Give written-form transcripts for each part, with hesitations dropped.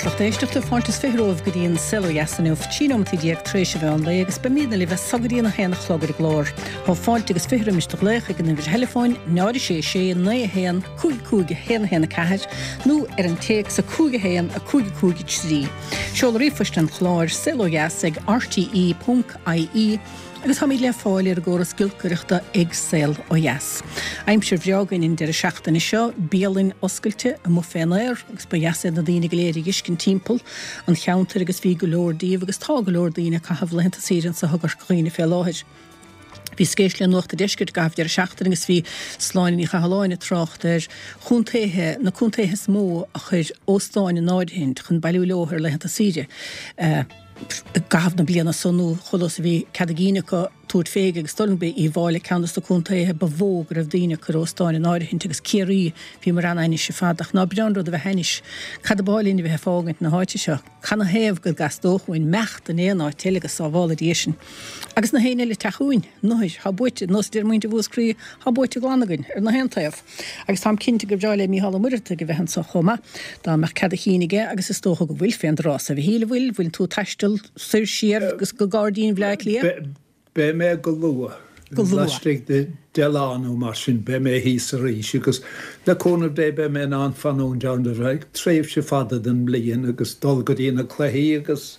lucht éisteachta, fáilte is 20 romhaibh go dtí an Saol Ó Dheas inniu, 13 nóimeataí tar éis an mheán lae agus beimídne libh as so go dtí an 1 a chlog ar an gclár. Tá fáilte agus 20 roimis do ghlaoch ag an uimhir theileafóin 0 6 6 9 1 5 5 1 1 4 nó ar an téacs 5 1 5 5 3. Seoladh ríomhphoist an chláir, saolodheas ag rte.ie. Agus táimid le fáil ar an gcóras giolcaireachta ag Saol Ó Dheas. Aimsir bhreá againn an deireadh seachtaine seo, bialainn oscailte amuigh fén aer agus ba dheas iad na daoine go léir a dh'fheiscint timpeall an cheantair agus bhí go leor díobh agus tá go leor daoine ag caitheamh laethanta saoire anso i gCorca Dhuibhne fé láthair. Bhíos ag éisteacht le Nuacht an Deiscirt i gcaitheamh deireadh seachtaine agus bhí Sláine Ní Chathalláin ag trácht ar chontaetha, na contaetha is mó a chuir óstáin in áirithint chun bailiú leo ar laethanta saoire. I gcaitheamh na bliana so nó chomh luath is a bhí cead a gcinn acu tabhairt fé agus dul b'é Uíbh Fháilí ceann dos na contaetha ba mhó go raibh daoine ag cur óstáin in áirithint agus Ciarraí bhíomar an-ainnis ar fad ach ná breá an rud a bheith ainnis. Cad ab áil linn a bheith ag fágaint na háite seo? Canathaobh go dteastódh uainn imeacht in aon áit eile go sábhála Dia sinn. Agus na héinne eile ag teacht chugainn? Nuair thá buaite, nós a deir muintir Mhúscraí, thá buaite glan againn ar na haon taobh. Agus táim cinnte gur bhreá le Mícheál Ó Muircheartaigh a bheith anso chomh maith, dá mbeadh cead a chinn aige, agus is dócha go bhfuil fén dtráth so. A Mhichíl, an bhfuil? Bhfuil tú ag taisteal soir siar go Gairdín Bhaile Átha Cliath? Beidh mé go luath. Go luath. Laistigh de 10 lá nó mar sin, beidh mé thíos arís agus le cúnamh Dé beidh mé in ann fanúint ann ar feadh tréimhse fada den mbliain agus dul go dtí na cluichí agus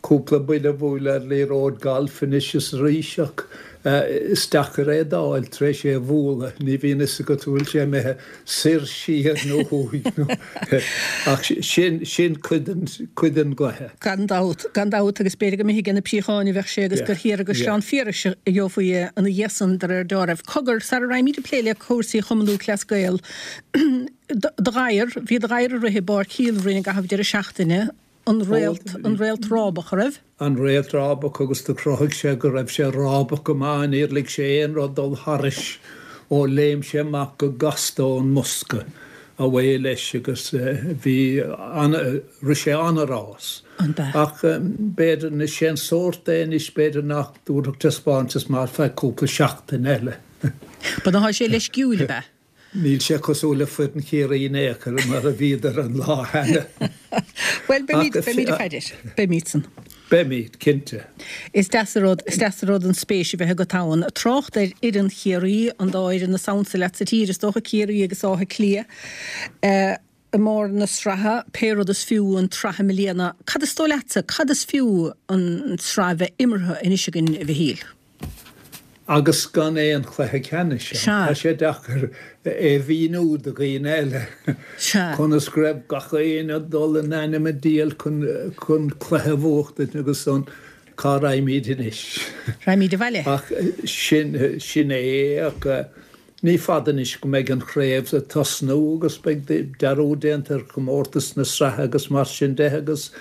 Cúpla buille a bhualadh ar liathróid gailf anois is arís ach is deacair é d'fháil tar éis é a bhualadh, ní bhíonn fhios agat an bhfuil sé imithe soir, siar nó thuaidh nó ach sin, sin cuid den, cuid den gcluiche. Gan dabht, gan dabht agus b'fhéidir go mb'thigh ag na Príocháin a bheadh sé agus gur thiar i gCaisleán Phiarais a gheofaí é ina dhiaidh san de réir deáraimh. Cogar, sara raghaimid ag plé le cúrsaí Chumann Lúthchleas Gael, do gadhar, bhí do ghadhar ag rith i bPáirc Shíol Rinn i gcaitheamh deireadh seachtaine, An réalt, an réalt rábach, a raibh? An réalt rábach agus do chruthaigh sé go raibh sé rábach go maith, níor lig sé aon rud dul thairis ó léim sé amach go gasta ón mbosca, away leis agus bhí ana, rith sé ana-rás. An b'ea? Ach b'fhéidir, anois sé an sórt é anois, b'fhéidir nach dtabharfadh taispeántas maith ar feadh cúpla seachtain eile. Ba ná sé leisciúil, ab ea? Níl sé cosúil le foireann Chiarraí in aon chor mar a bhíodar an lá cheana. Bhuel, beimid, beimid ag faire air. Beimid san. Beimid, cinnte. Is deas an rud, is deas an rud an spéis a bheith agat ann. Trácht ar fhoireann Chiarraí, an dá fhoireann is ansa leat sa tír, is dócha, Ciarraí agus Áth Cliath, i mbarr na sraithe, pé rud is fiú an tsraith i mbliana. Cad is dóigh leatsa, cad is fiú an tsraith bheith imeartha anois againn, a Mhichíl? Agus gan aon chluiche ceannais ann. Tá sé deacair é a mhíniú do dhaoine eile conas go raibh gach éinne ag dul in ainm an diabhail chun cluiche a bhuachtaint agus ansan cá raghaimid anois? Raghaimid abhaile. Ach sin, sin é ach ní fada anois go mbeidh an chraobh ag tosnú agus beidh dearúd déanta ar chomórtas na sraithe agus mar sin de agus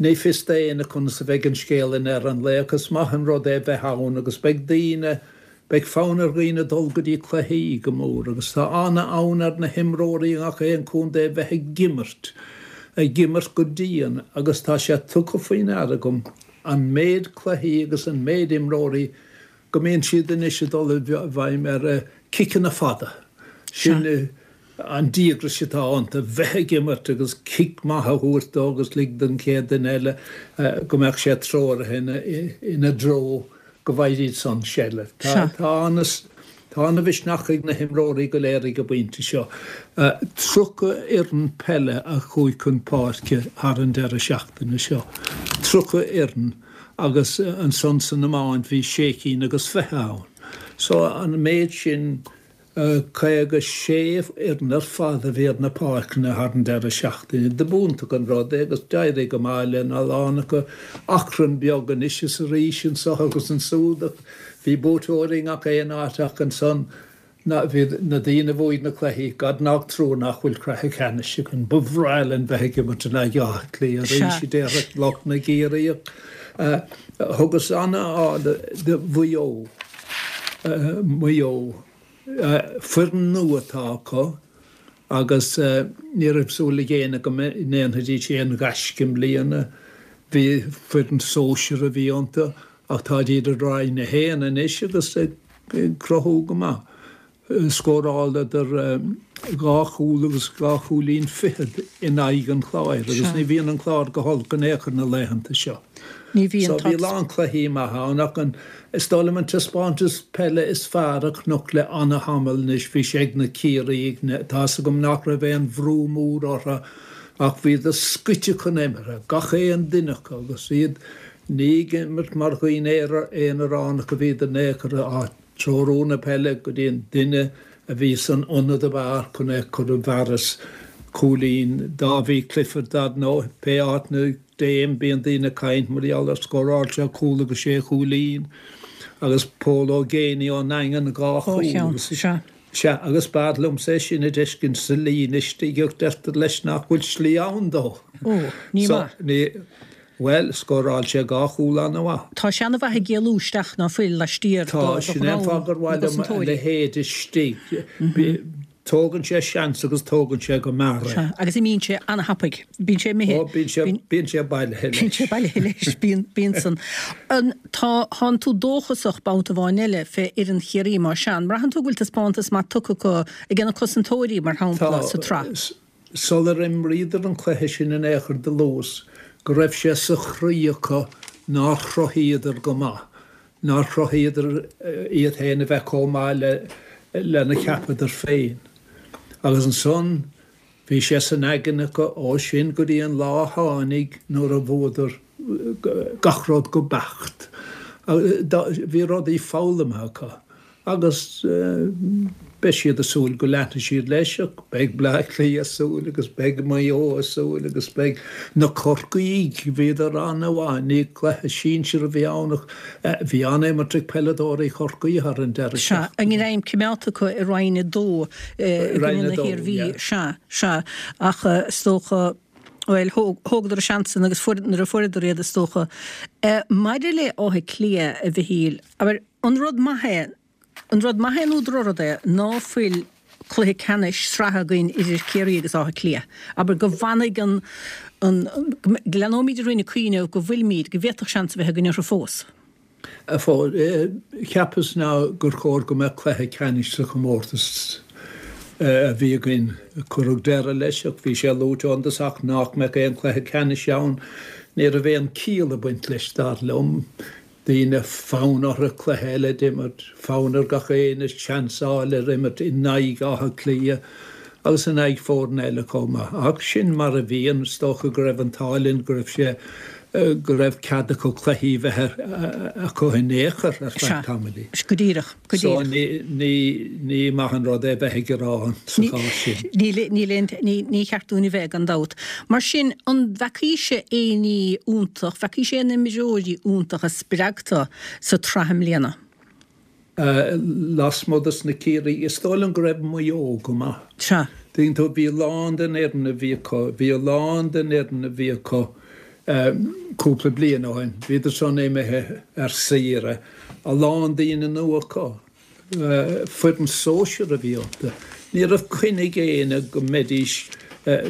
Ní fios d'éinne conas a bheidh an scéal i ndeireadh an lae ach is maith an rud é bheith ann agus beidh daoine, beidh fonn ar dhaoine dul go dtí cluichí go mór agus tá ana-fhonn ar na himreoirí i ngach aon chontae bheith ag imirt, ag imirt go dian agus tá sé tugtha faoi ndeara agam an méid cluichí agus an méid imreoirí go mbíonn siad anois ag dul i bhfeidhm ar chiceanna fada. Sin an díograis atá iontu, bheith ag imirt agus cic maith a thabhairt dó agus lig don chéad duine eile go mbeadh sé treoraithe ina dtreo go bhfaighidís san seilbh. Tá ana-mhisneach ag na himreoirí go léir ag an bpointe seo. 30 fhoireann peile a chuaigh chun páirce thar an deireadh seachtaine seo. 30 fhoireann. agus ansan san iomáint bhí sé cinn agus fiche ann. So an méid sin, 56 fhoireann ar fad a bhí ar na páirceanna thar an deireadh seachtaine. Dob iontach an rud é agus d'éirigh go maith lena lán acu. Achrann beag anois is arís anso agus ansúd ach bhí buaiteoirí i ngach aon áit ach ansan Na, bhí na daoine a bhuaigh na cluichí, God nach trua nach bhfuil cluiche ceannais againn. Ba bhreá linn bheith ag imirt in aghaidh Átha Cliath arís, a déarfadh lucht na gCiarraíoch. Thugas an-aird do Mhaigh Eo. Maigh Eo. Foireann nua atá acu agus ní raibh súil ag éinne go ndéanfaidís aon ghaisce i mbliana. Bhí foireann sóisir a bhí iontu ach táid iad i Roinn 1 anois agus ag cruthú go maith. Scóráladar dhá chúl agus dhá chúilín fichead in aghaidh an Chláir agus ní bhíonn an Clár go holc in aon chor na laethanta seo. Ní bhíonn. So bhí a lán cluichí maithe ann ach an, is dóigh liom an taispeántas peile is fearr a chonac le ana-thamall anois, bhí sé ag na Ciarraígh, tá 'fhios agam nach raibh aon bhrú mór orthu ach bhíodar scoite chun imeartha, gach aon duine acu agus iad ní ag imirt mar dhaoine aonaránacha a bhíodar in aon chor ag treorú na peile go dtí an duine a bhí san ionad ab fhearr chun é a chur i bhfearas cúilín. Dáibhí Clifford, dar ndóigh, pé áit 'na dtéim bíonn daoine ag caint mar gheall air, scóráil sé cúl agus sé chúilín agus Pól Ó Géibheannaigh ón nDaingean dhá chúl agus sea agus b'fhearr liomsa é sin a d'fheiscint sa líne istigh ach deirtear leis nach bhfuil slí ann dó. Ó, ní maith. So, ní. Bhuel, scóráil sé dhá chúl an-mhaith. Tá sé an-mhaith ag éalú isteach ná fuil laistiar do Tá, sin é an fáth gur mhaith liom a leithéid istigh. Tógann sé seans agus tógann sé go mear é. Sea, agus imíonn sé an-thapaidh. Bíonn sé imithe. Ó, bíonn sé, bíonn sé bailithe leis. Bíonn sé bailithe leis, bíonn, bíonn san. An, tá, thánn tú dóchasach babhta amháin eile fé fhoireann Chiarraí más ea. An mbraitheann tú go bhfuil taispeántas maith tugtha acu ag na cosantóirí, mar shampla, sa tsraith? Sular imríodar an cluiche sin in aon chor do luas go raibh sé sa chroí acu nár chruthaíodar go maith, nár chruthaíodar iad féin a bheith chomh maith le lena cheapadar féin. Agus ansan bhí sé san aigne acu ó sin go dtí an lá a tháinig nuair a bhuadar gach rud go beacht. Bhí rudaí foghlamtha acu. Agus beidh siad ag súil go leanfaidh siad leis, ach beidh Bleá Cliath ag súil agus beidh Maigh Eo ag súil agus beidh na Corcaígh, bhíodar an-mhaith, ní cluiche sinsir a bhí ann ach bhí an-imirt ag peileadóirí Chorcaí thar an deireadh Sea, a ngreim coimeádta acu i Roinn 2 i gcoinne na hIarmhí, sea, sea, ach is dócha, bhuel, thógadar a seans san agus fuair, nuair a fuaireadar iad is dócha. Maidir le Áth Cliath, a Mhichíl, abair, An rud maith é, an rud maith é nó drochrud é ná fuil cluiche ceannais sraithe againn idir Ciarraí agus Áth Cliath? Abair go bhfanfaidh an, an, go leanóimid orainn ag cuimhneamh go bhfuilimid, go bhféadfadh seans a bheith againn orthu fós. Cheapas ná gur chóir go mbeadh cluiche ceannais sa chomórtas a bhí againn. Cuireadh deireadh leis ach bhí sé luaite ón dtosach nach mbeadh aon chluiche ceannais ann. Ní raibh aon chiall ag baint leis, dar liom. Daoine, fonn orthu cluiche eile d'imirt, fonn ar gach éinne seans a fháil ar imirt in aghaidh Átha Cliath agus in aghaidh foirne eile chomh maith. Ach sin mar a bhíonn, is dócha go raibh an t-ádh linn go raibh sé, go raibh cead acu cluichí a bheith acu in aon chor ar feadh tamaillín. Sea, go díreach, go díreach. So ní, ní, ní maith an rud é bheith ag gearán sa chás sin. Níl, níl aon, ní, ní cheart dúinn a bheith, gan dabht. Mar sin, an bhfeacaís aon ní iontach, bhfeacaís aon imreoirí iontacha spreagtha sa tsraith i mbliana? Lasmuigh dos na Ciarraígh, is dóigh liom go raibh Maigh Eo go maith. Sea. Tuigeann tú, bhí a lán den fhoireann a bhí acu, bhí a lán den fhoireann a bhí acu cúpla bliain ó shin, bhíodar san imithe ar saoire, a lán daoine nua acu. Foireann sóisir a bhí iontu. Ní raibh coinne ag éinne go mbeidís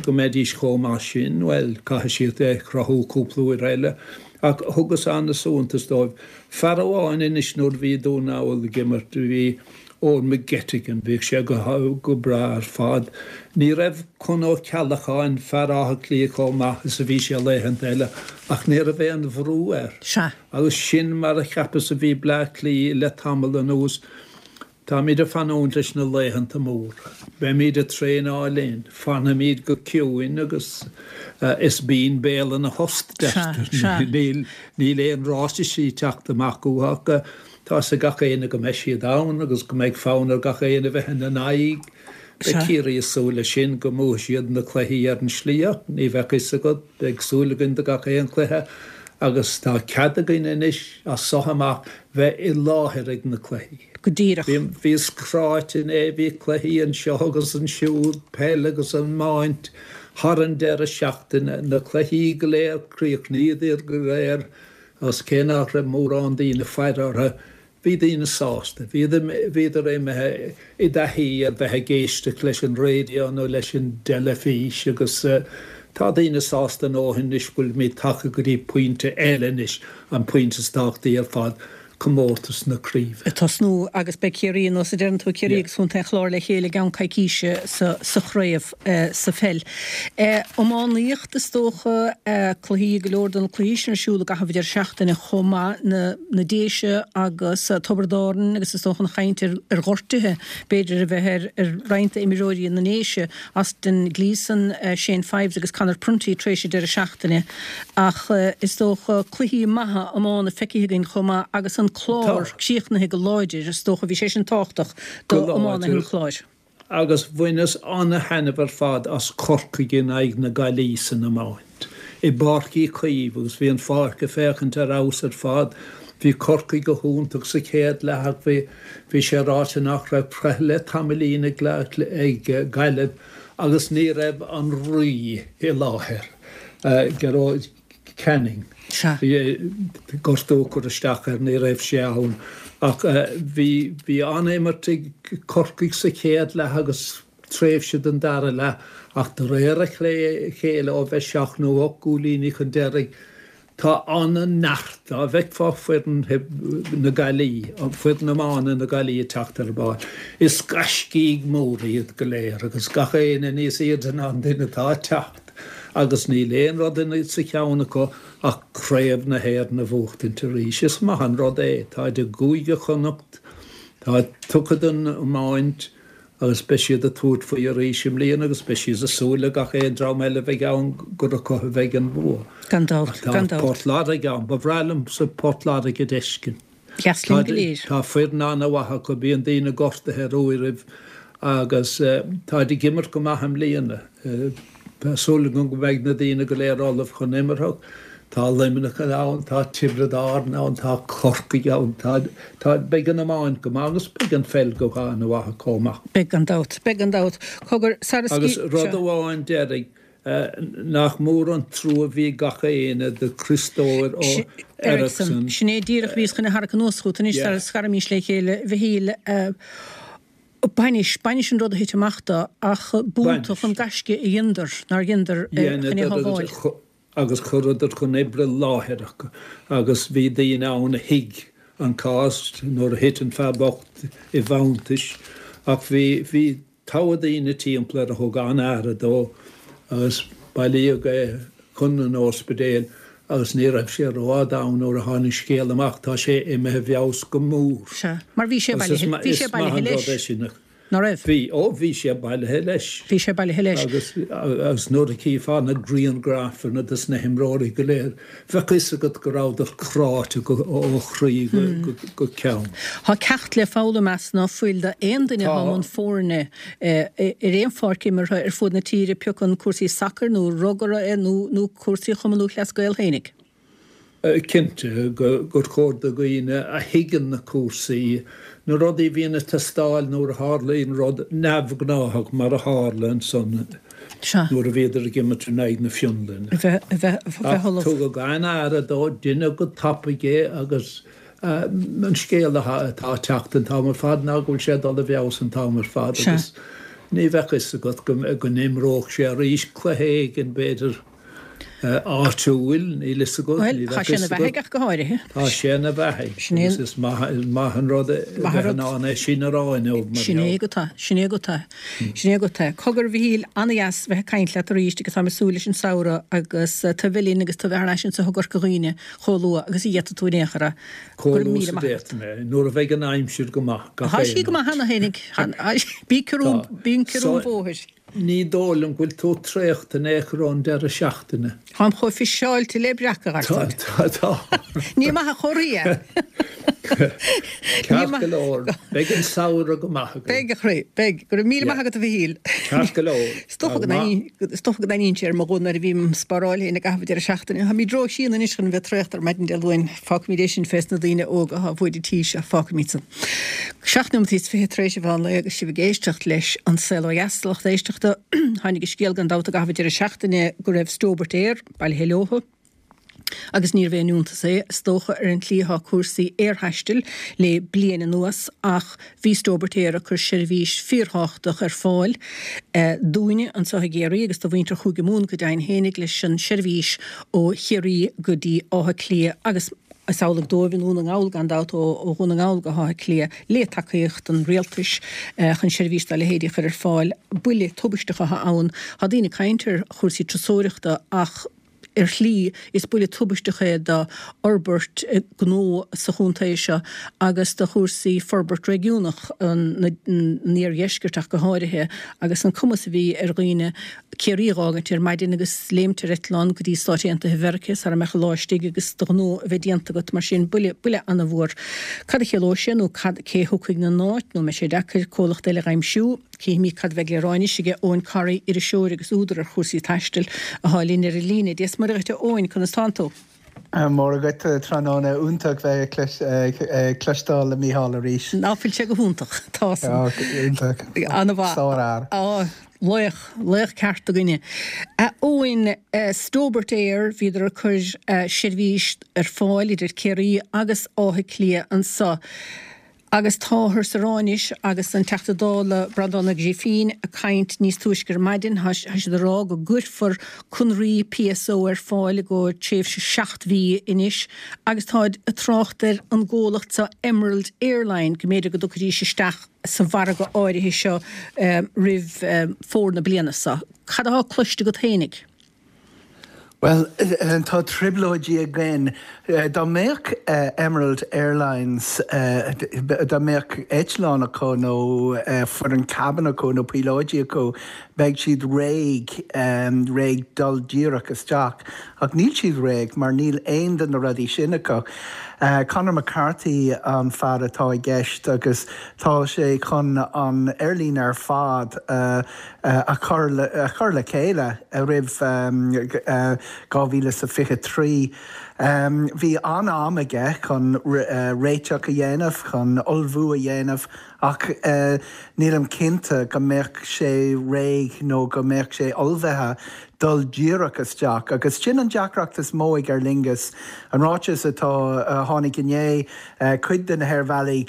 go mbeidís chomh maith sin. Bhuel, caithfidh siad é a chruthú cúpla uair eile. Ach thugas an-suntas dóibh. Fear amháin anois nuair a bhí Dún na nGall ag imirt, bhí Eoin McGettigan, bhíodh sé go go breá ar fad. Ní raibh Con Ó Ceallacháin, fear Átha Cliath chomh maith is a bhí sé laethanta eile ach ní raibh aon bhrú air. Sea. Agus sin mar a cheapas a bhí Bleá Cliath le tamall anuas. Táimid ag fanúint leis na laethanta móra. Beimid ag traenáil linn. Fanfaimid go ciúin agus is binn béal ina thost, deirtear. Níl níl aon ráitisí ag teacht amach uathu ach tá 'fhios ag gach éinne go mbeidh siad ann agus go mbeidh fonn ar gach éinne a bheith ina n-aghaidh. Beidh Ciarraí ag súil leis sin, go mbuafaidh siad na cluichí ar an slí ach ní bheadh fhios agat, beidh súil againn do gach aon chluiche agus tá cead againn anois as so amach bheith i láthair ag na cluichí. Go díreach. Bhíos cráite inné, bhí cluichí anseo agus ansiúd, peil agus iomáint thar an deireadh seachtaine, na cluichí go léir, chríochnaíodar go léir agus cé nach raibh mórán daoine faire orthu, Bhí daoine sásta. Bhíodar imithe i dtaithí ar bheith ag éisteacht leis an raidió nó leis an dteilifís agus tá daoine sásta a ndóthain anois go bhfuilimid tagtha go dtí pointe eile anois, an pointe is tábhachtaí ar fad. Comórtas na Craoibhe. Ag tosnú agus beidh Ciarraí, nós a deireann tú, Ciarraí agus Contae an Chláir le chéile i gceann coicíse sa chraobh sa pheil. Iománaíocht is dócha, cluichí, go leor de na cluichí sin ar siúl i gcaitheamh an deireadh seachtaine chomh maith, na na Déise agus Tiobraid Árann agus is dócha an chaint ar ghortuithe b'fhéidir a bheith ar ar roinnt d'imreoirí na nDéise. Austin Gleeson, Shane Fives agus Conor Prunty tar éis an deireadh seachtaine ach is dócha cluichí maithe iomána feicthe againn chomh maith agus an Clár críochnaithe go láidir, is dócha. Bhí sé sin tábhachtach Go d'iománaithe an láidir Chláir. agus bhaineas ana-thaitneamh ar fad as Corcaigh in aghaidh na Gaillimhe san iomáint i bPáirc Uí Chaoimh agus bhí an pháirc ag féachaint ar fheabhas ar fad. Bhí Corcaigh go hiontach sa chéad leath ach bhí Bhí sé ráite nach raibh breith le tamaillín ag Gaillimh agus ní raibh an Rí i láthair, Gearóid Canning. Bhí gortú ag cur isteach air, ní raibh sé ann. Ach bhí bhí an-imirt ag Corcaigh sa chéad leath agus tréimhse den dara leath ach de réir a chéile ó bheith seacht nó ocht gcúilíní chun deiridh, Tá an-neart, dá bhfeicfeá foireann na Gaillimhe, foireann iomána na Gaillimhe ag teacht ar an bpáirc, is gaiscígh mhóra iad go léir agus gach éinne níos airde ná an duine atá ag teacht agus níl aon rud sa cheann acu ach Craobh na hÉireann a bhuachtaint arís. Is maith an rud é. Táid i gCúige Chonnacht, táid tugtha don iomáint, agus beidh siad ag tabhairt faoi arís i mbliana agus beidh siad ag súil le gach aon dream eile a bheidh ann gur acu a bheidh an bua. Gan dabht, gan dabht. Tá Port Láirge ann. Ba bhreá liomsa Port Láirge a d'fheiscint. Deas linn go léir. Tá foireann an-mhaith acu, bíonn daoine gortaithe ar uairibh agus táid ag imirt go maith i mbliana. Tá súil agam go mbeidh na daoine go léir ullamh chun imeartha. Tá Luimneach ann, tá Tiobraid Árann ann, tá Corcaigh ann, tá, tá, beidh an iomáint go maith agus beidh an pheil go han-mhaith chomh maith. Beidh gan dabht, beidh gan dabht. Cogar, sara Agus rud amháin deiridh, nach mór an trua a bhí ag gach éinne do Christofer Eriksson. Sin é díreach a bhíos chun a tharrac anuas chugat anois sara scaraimis le chéile, a Mhichíl. Bainis, bainis an rud a thit amach dó, ach b'iontach an gaisce a dheineadar, nár dheineadar, chun é a shábháil. Agus chuireadar chun oibre láithreach agus bhí daoine ann a thuig an cás nuair a thit an fear bocht i bhfanntais ach bhí, bhí togha daoine timpeall air a thug an-aire dó agus bailíodh é chun an ospidéil Agus ní raibh sé rófhada ann nuair a tháinig scéal amach, tá sé imithe i bhfeabhas go mór. Sea, mar bhí sé bailithe, bhí sé bailithe leis, ná raibh? Bhí, ó bhí sé bailithe leis. Bhí sé bailithe leis. Agus, agus nuair a chífeá na grianghrafanna dos na himreoirí go léir, bheadh fhios agat go rabhadar cráite go, ó chroí go, go, go ceann. Tá ceacht le foghlaim as ná fuil d'aon duine atá i mbun foirne ar aon pháirc imeartha ar fuaid na tíre, pé acu cúrsaí sacair nó rugbaí é nó cúrsaí Chumann Lúthchleas Gael fhéinig. Cinnte gur chóir do dhaoine a thuigeann na cúrsaí, na rudaí a bhíonn ag teastáil nuair a tharlaíonn rud neamhghnáthach mar a tharla ansan nuair a bhíodar ag imirt in aghaidh na Fionlainne. Ach tugadh an-aire dó, deineadh go tapaidh é agus An scéal atá ag teacht an t-am ar fad ná go bhfuil sé ag dul i bhfeabhas an t-am ar fad agus ní bheadh fhios agat go n-imreodh sé arís cluiche éigin, b'fhéidir, áitiúil, níl fhios agat, ní bheadh fhios agat. Tá sé ina bheathaidh ach go háirithe. Tá sé ina bheathaidh agus is maith an rud a bheith in ann é sin a rá inniu mar Sin é agat é, sin é agat é, sin é agat é. Cogar, a Mhichíl, an-dheas bheith ag caint leat arís agus táim ag súil leis an samhradh agus tú a bheith linn agus tú a bheith thar n-ais anseo i gCorca Dhuibhne Chomh luath agus a d'fhéadfaidh tú in aon chor é. Go raibh míle maith agat. Chomh luath is a d'fhéadfaidh mé, nuair a bheidh an aimsir go maith, gach aon áit. Tá sí go maith cheana féinig. Bí ciúin, bíonn ciorrú an bhóthair. Ní dóigh liom go bhfuil tú traochta in aon chor ón deireadh seachtaine. Táim chomh fiseáilte le breac, a gharsáin. Tá, tá. Ní maith an chomhartha é. Ceart go leor, beidh an samhradh go maith againn. Beidh, a chroí, beidh. Go raibh míle maith agat, a Mhichíl. Ceart go leor. Is dócha go n-aithníonn sé ar mo ghuth nuair a bhím spáráil féin i gcaitheamh an deireadh seachtaine. Táimid ró-shíon anois chun a bheith traochta ar maidin Dé Luain. Fágfaimid é sin fés na daoine óga atá bhuaidh an tí seo. Fágfaimid san. 7 nóimeataí is 20 tar éis an mheán lae agus sibh ag éisteacht leis An Saol Ó Dheas, a lucht éisteachta. Tháinig an scéal gan dabht i gcaitheamh an deireadh seachtaine go raibh Stobart Air bailithe leothu. Agus níorbh aon iontas é, is dócha, ar an tslí atá cúrsaí aerthaistil le bliain anuas, ach bhí Stobart Air ag cur seirbhís fíorthábhachtach ar fáil dúinne anseo i gCiarraí agus do mhuintir Chúige Mumhan go deimhin fhéinig leis an seirbhís ó Chiarraí go dtí Áth Cliath agus. Is amhlaidh dóibh i nDún na nGall gan dabht, ó Dhún na nGall go hÁth Cliath, le tacaíocht an rialtais chun seirbhís dá leithéidí a chur ar fáil. Buille tubaisteach atá ann. Tá daoine ag caint ar chúrsaí turasóireachta ach ar shlí is buille tubaisteach é do fhorbairt gnó sa chontae seo agus do chúrsaí forbairt réigiúnach an iardheiscirt ach go háirithe agus an cumas a bhí ar dhaoine Ciarraí a dh'fhágaint ar maidin agus léimt ar eitleán go dtí Stáit Aontaithe Mheirice sara mbeadh an lá istigh agus do ghnó a bheith déanta agat. Mar sin, buille, buille ana-mhór. Cad a chiallóidh sé nó cad, cé a thiocfaidh 'na n-áit nó an mbeidh sé deacair comhlacht eile dh'aimsiú? Cífimid cad a bheidh le rá anois aige Eoghan Corry, iriseoir agus údar ar chúrsaí taistil, athá linn ar an líne. Dia 's Muire dhuit a Eoghain, conas tánn tú? Móra dhuit, tráthnóna iontach bheith ag cloisteáil le Mícheál arís. Ná fuil sé go hiontach? Tá san. Iontach. An-mhaith. Sár-fhear. Á, laoch, laoch ceart againne. A Eoghain, Stobart Air, bhíodar ag cur seirbhís ar fáil idir Ciarraí agus Áth Cliath anso. Agus táthar sa rá anois, agus an Teachta Dála Breandán Ó Grifín ag caint níos túisce ar maidin, tá siad ag rá go gcuirfear conraí PSO ar fáil i gcomhair tréimhse 7 mhí anois agus táid ag trácht ar an gcomhlacht seo Emerald Airline go mb'fhéidir go dtiocfaidís isteach sa mhargadh áirithe seo roimh fómhar na bliana seo. Cad atá cloiste agat fhéinig? Bhuel, tá trioblóidí againn. Dá mbeadh Emerald Airlines, dá mbeadh eitleán acu nó foireann cabin acu nó píolóidí acu, beidh siad réidh, réidh dul díreach isteach. Ach níl siad réidh mar níl aon de na rudaí sin acu. Conor McCarthy an fear atá i gceist agus tá sé chun an aerlíne ar fad a a chur le chéile roimh 2023. Bhí an-am aige chun réiteach a dhéanamh, chun ullmhú a dhéanamh ach nílim cinnte go mbeadh sé réidh nó go mbeadh sé ullmhaithe dul díreach isteach. Agus sin an deacracht is mó ag Aer Lingus. An ráiteas atá a tháinig inné, cuid de na haerbhealaí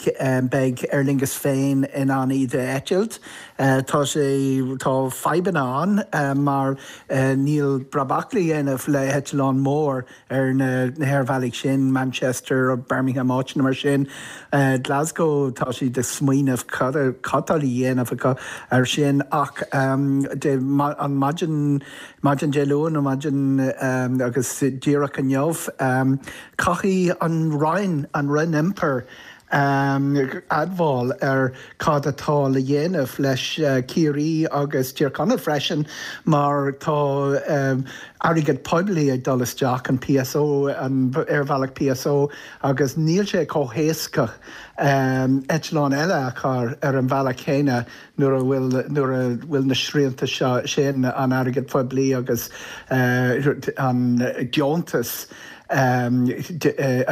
beidh Aer Lingus féin in ann iad a eitilt. Tá sé, tá fadhbanna ann mar níl brabach le dhéanamh le heitleán mór ar na haerbhealaigh sin, Manchester, Birmingham, áiteanna mar sin. Glasgow, tá siad ag smaoineamh cad cad tá le dhéanamh acu ar sin ach dé, an maidin, maidin Dé Luain nó maidin agus díreach inniu, caithfidh an Roinn, an Roinn Iompair, admháil ar cad atá le dhéanamh leis Ciarraí agus Tír Chonaill freisin mar tá airgead poiblí ag dul isteach, an PSO, an aerbhealach PSO agus níl sé chomh héasca eitleán eile a chur ar an bhealach chéanna nuair a bhfuil nuair a bhfuil na srianta seo sin, an airgead poiblí agus an deontas a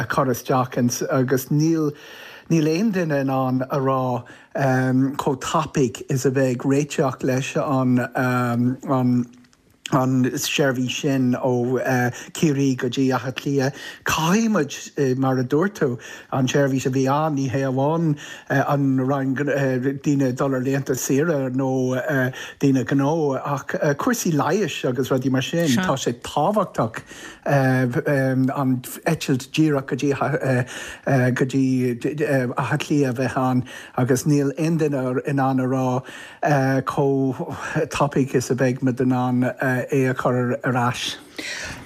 chur isteach agus níl níl aon duine in ann a rá chomh tapaidh is a bheidh réiteach leis an an an seirbhís sin ó Chiarraí go dtí Áth Cliath. Caithfidh muid, mar a dúirt tú, an tseirbhís a bhí ann, ní hé amháin an Roinn daoine ag dul ar laethanta saoire nó daoine gnó ach cúrsaí leighis agus rudaí mar sin. Tá sé tábhachtach an eitilt díreach go dtí go dtí Áth Cliath a bheith ann agus níl aon duine in ann a rá chomh tapaidh is a bheidh muid in ann é a chur ar ais.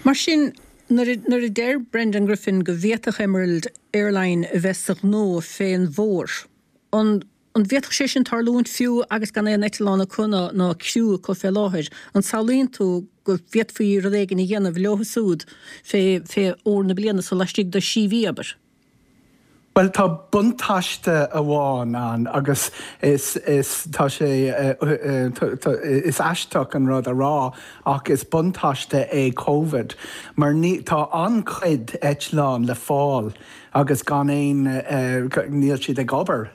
Mar sin, nuair a deir Brendan Griffin go bhféadfadh Emerald Airline a bheith sa ghnó fén bhfómhar, an an bhféadfadh sé sin tarlúint fiú agus gan aon eitleán acu ná ná criú acu fé láthair? An samhlaíonn tú go bhféadfaí rud éigin a dhéanamh leo súd fé fé fhómhar na bliana so laistigh de shí mhí, abair? Bhuel, tá buntáiste amháin ann agus is, is, tá sé, is aisteach an rud a rá ach is buntáiste é Covid mar ní, tá an-chuid eitleán le fáil. agus gan aon, níl siad ag obair.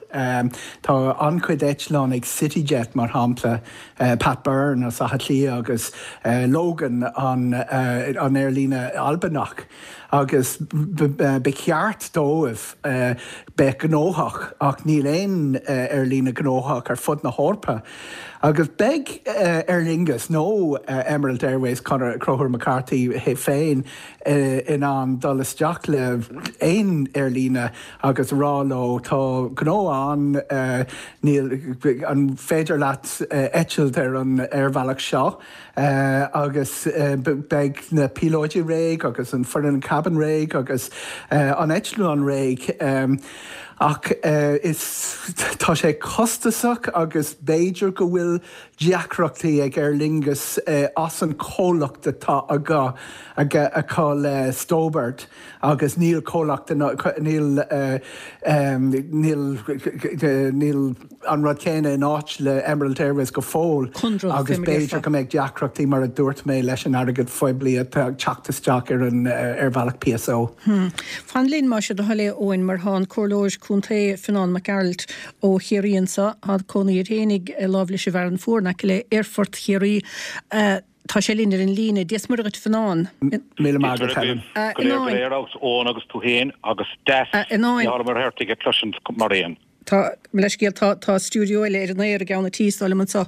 Tá an-chuid eitleán ag CityJet mar shampla, Pat Byrne as Átha Cliath agus Logan an aerlíne Albanach agus ba cheart dóibh bheith gnóthach ach níl aon aerlíne gnóthach ar fud na hEorpa. Agus beidh Aer Lingus nó Emerald Airways, Conchúr McCarthy féin, in ann dul isteach le aon aerlíne agus rá leo tá gnó ann, níl, an féidir leat eitilt ar an aerbhealach seo agus beidh na píolóidí réidh agus an foireann cabin réidh agus an eitleán réidh. Ach is, tá sé costasach agus b'fhéidir go bhfuil deacrachtaí ag Aer Lingus as an chomhlacht atá acu acu le Stobart agus níl comhlacht níl níl níl an rud céanna in áit le Emerald Airways go fóill agus b'fhéidir go mbeidh deacrachtaí mar a dúirt mé leis an airgead phoiblí atá ag teacht isteach ar an aerbhealach PSO. Fan linn más é do thoil é a Eoin mar tá an Comhairleoir Contae Fionán Mac Gearailt ó Chiarraí anseo. Tá cónaí air fhéinig láimh leis an bhFearann Fuar in aice le Aerfort Chiarraí. Tá sé linn ar an líne. Dia 's Muire dhuit Fionán. Míle maith agat Helen. Go léir go léir agus Eoin agus tú féin agus deas Mícheál Ó Muircheartaigh a chloisint mar aon. Tá, mo leithscéal, tá, tá stiúideo eile ar an aer i gceann an tí, is dóigh liom anseo,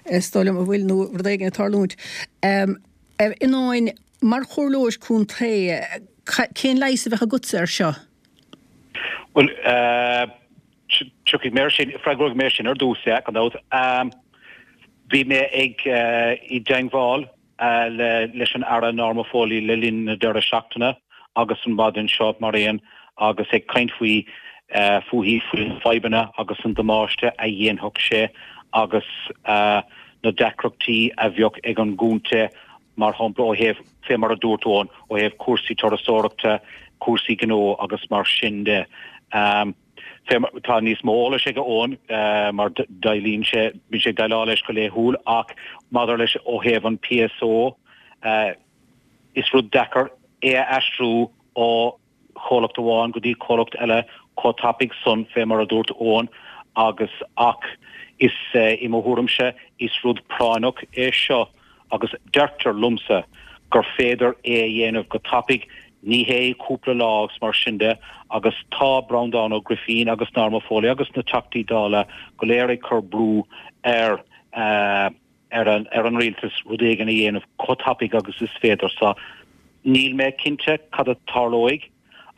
is dóigh liom a bhfuil nó rud éigin ag tarlúint. A Fhionáin, mar chomhairleoir contae, cén leigheas a bheadh agatsa air seo? Bhuel, tiocfaidh mé air sin, freagróidh mé sin ar dtús, yeah, gan dabht. Bhí mé ag, i dteangmháil leis an Aire Norma Foley le linn na deireadh seachtaine agus an mhaidin seo mar aon agus ag caint faoi, fúithi, faoi na fadhbanna agus an damáiste a dhéanfadh sé agus na deacrachtaí a bheadh ag an gcontae mar shampla ó thaobh, fé mar a dúirt Eoin, ó thaobh cúrsaí turasóireachta, cúrsaí gnó agus mar sin de. Fé mar, tá níos mó eolais ag Eoin mar déileálann sé, bíonn sé ag déileáil leis go laethúil ach maidir leis ó thaobh an PSO, is rud deacair é a aistriú ó chomhlacht amháin go dtí comhlacht eile chomh tapaidh san, fé mar a dúirt Eoin, agus ach is, i mo thuairimse, is rud práinneach é seo agus deirtear liomsa gur féidir é a dhéanamh go tapaidh, ní hé cúpla lá agus mar sin de, agus tá Breandán Ó Grifín agus Norma Foley agus na Teachtaí Dála go léir ag cur brú ar ar an ar an rialtas rud éigin a dhéanamh chomh tapaidh agus is féidir. So níl mé cinnte cad a tarlóidh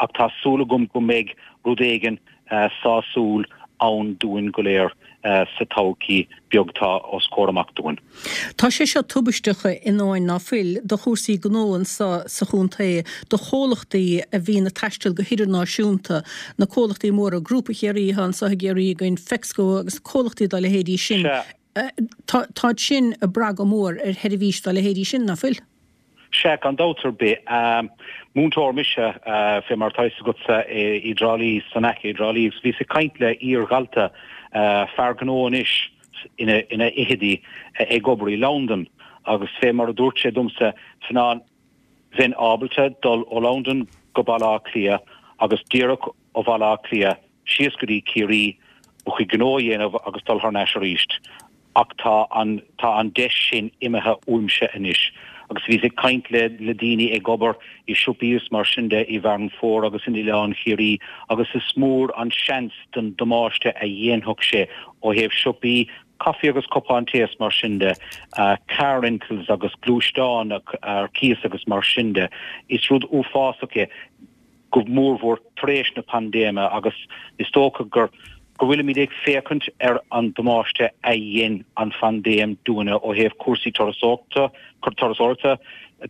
ach tá súil agam go mbeidh rud éigin sásúil ann dúinn go léir sa todhchaí beag atá os comhair amach dúinn. Tá sé seo tubaisteach a Fhionáin ná fuil do chúrsaí gnó anso sa chontae, do chomhlachtaí a bhíonn ag taisteal go hidirnáisiúnta, na comhlachtaí móra, Grúpa Chiarraí atá anso i gCiarraí againn, Fexco agus comhlachtaí dá leithéidí sin. Sea. Táid sin ag brath go mór ar sheirbhís dá leithéidí sin, ná fuil? Sea, gan dabht ar bith. Múinteoir mise, fé mar atá fhios agatsa, i dTrá Lí, san aice i dTrá Lí, agus bhíos ag caint le iar-dhalta, fear gnó anois ina fhichidí, ag obair i Londain, agus fé mar a dúirt sé domsa, Fionán, bheinn ábalta dul ó Londain go Baile Átha Cliath agus díreach ó Bhaile Átha Cliath síos go dtí Ciarraí, mo chuid gnó a dhéanamh agus dul thar n-ais arís. Ach tá an, tá an deis sin imithe uaimse anois. Agus bhíos ag caint le, le daoine ag obair i siopaí is mar sin de i bhFearann Fuar agus in Oileán Chiarraí agus is mór an seans den damáiste a dhéanfadh sé ó thaobh siopaí, caife agus cupán tae is mar sin de, car rentals agus gluaisteáin ar cíos agus mar sin de. Is rud uafásach é. go mórmhór tar éis na paindéime agus is dócha gur go bhfuilimid ag féachaint ar an damáiste a dhein an phaindéim dúinne ó thaobh cúrsaí turasóireachta, turasóireachta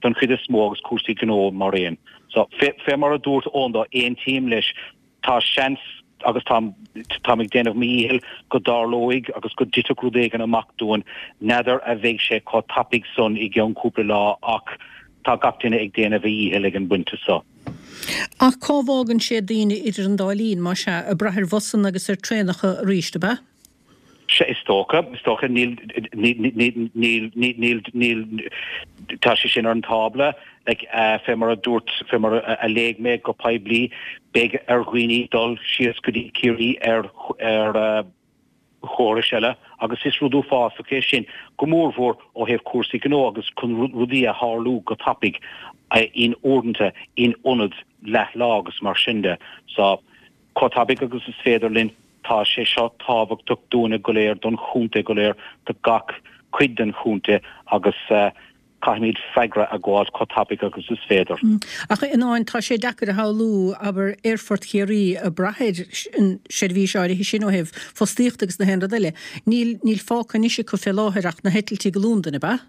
don chuid is mó agus cúrsaí gnó mar aon. So, fé, fé mar a dúirt Eoin dó, aontaím leis, tá seans agus táim, táim ag déanamh mo dhícheall go dtarlóidh agus go dtitfeadh rud éigin amach dúinn, n'fheadar a bheidh sé chomh tapaidh san i gceann cúpla lá ach tá gach duine ag déanamh a dhícheall ag an bpointe so. Ach cá bhfágann sé daoine idir an dá linn, más ea, ag brath ar bhusanna agus ar traenacha arís, ab ea? Sea, is dócha, is dócha, níl, níl, níl, níl, níl, tá sé sin ar an tábla, like, fé mar a dúirt, fé mar a léigh mé go poiblí, beidh ar dhaoine dul síos go dtí Ciarraí ar, ar chórais eile agus is rud uafásach é sin, go mórmhór ó thaobh cúrsaí gnó agus chun rudaí a tharlú go tapaidh in uaireanta in ionad leath lá agus mar sin de. So, chomh tapaidh agus is féidir linn, tá sé seo tábhachtach dúinne go léir, don chontae go léir, do gach cuid den chontae agus caithfimid freagra a ghabháilt chomh tapaidh agus is féidir. Ach a Fhionnáin, tá sé deacair a shamhlú, abair, Aerfort Chiarraí ag brath ar an seirbhís áirithe sin ó thaobh fostaíochta agus na haon rud eile. Níl, níl fágtha anois acu fé láthair ach na heitiltí go Londain, ab ea?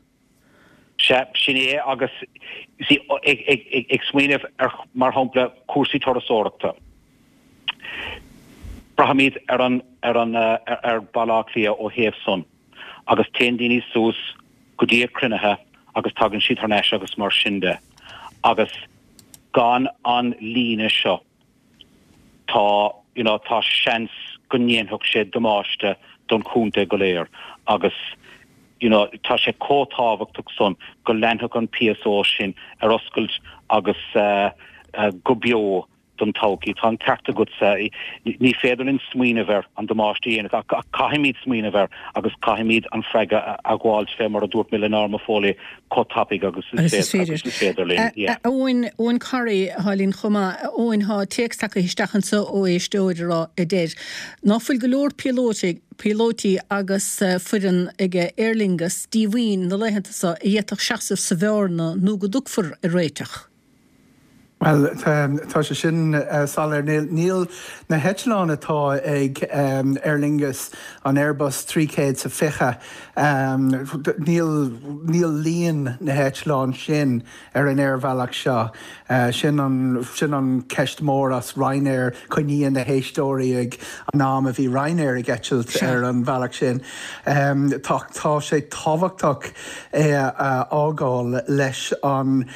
Sea, sin é agus, you see, ag smaoineamh ar, mar shampla, cúrsaí turasóireachta. Braithimid ar an, ar an, ar Bhaile Átha Cliath ó thaobh san agus téann daoine suas go dtí a cruinnithe agus tagann siad thar n-ais agus mar sin de agus gan an líne seo, tá, you know, tá seans go ndéanfadh sé damáiste don chontae go léir agus, you know, tá sé chomh tábhachtach san go leanfadh an PSO sin ar oscailt agus go beo don todhchaí. Tá an ceart agatsa, ní féidir linn smaoineamh ar an damáiste a dhéanamh ach caithfimid smaoineamh air agus caithfimid an freagra a ghabháilt fé mar a dúirt mé le Norma Foley chomh tapaidh agus is féidir linn. Yeah. Eoin, Eoin Corry atá linn chomh maith. Eoin, tá téacs tagtha isteach anseo ó éisteoir a rá, a deir, ná fuil go leor píolótaí, píolóití agus foireann ag Aer Lingus díomhaoin na laethanta seo a d'fhéadfadh seasamh sa bhearna nó go dtiocfar ar réiteach. Bhuel, tá sé sin soiléir. Níl na heitleáin atá ag Aer Lingus, an Airbus 320, níl, níl líon na heitleán sin ar an aerbhealach seo. Sin an, sin an ceist mór as Ryanair, cuimhníonn na héisteoirí ag an am a bhí Ryanair ag eitilt ar an bhealach sin. Tá, tá sé tábhachtach é a fhágáil leis an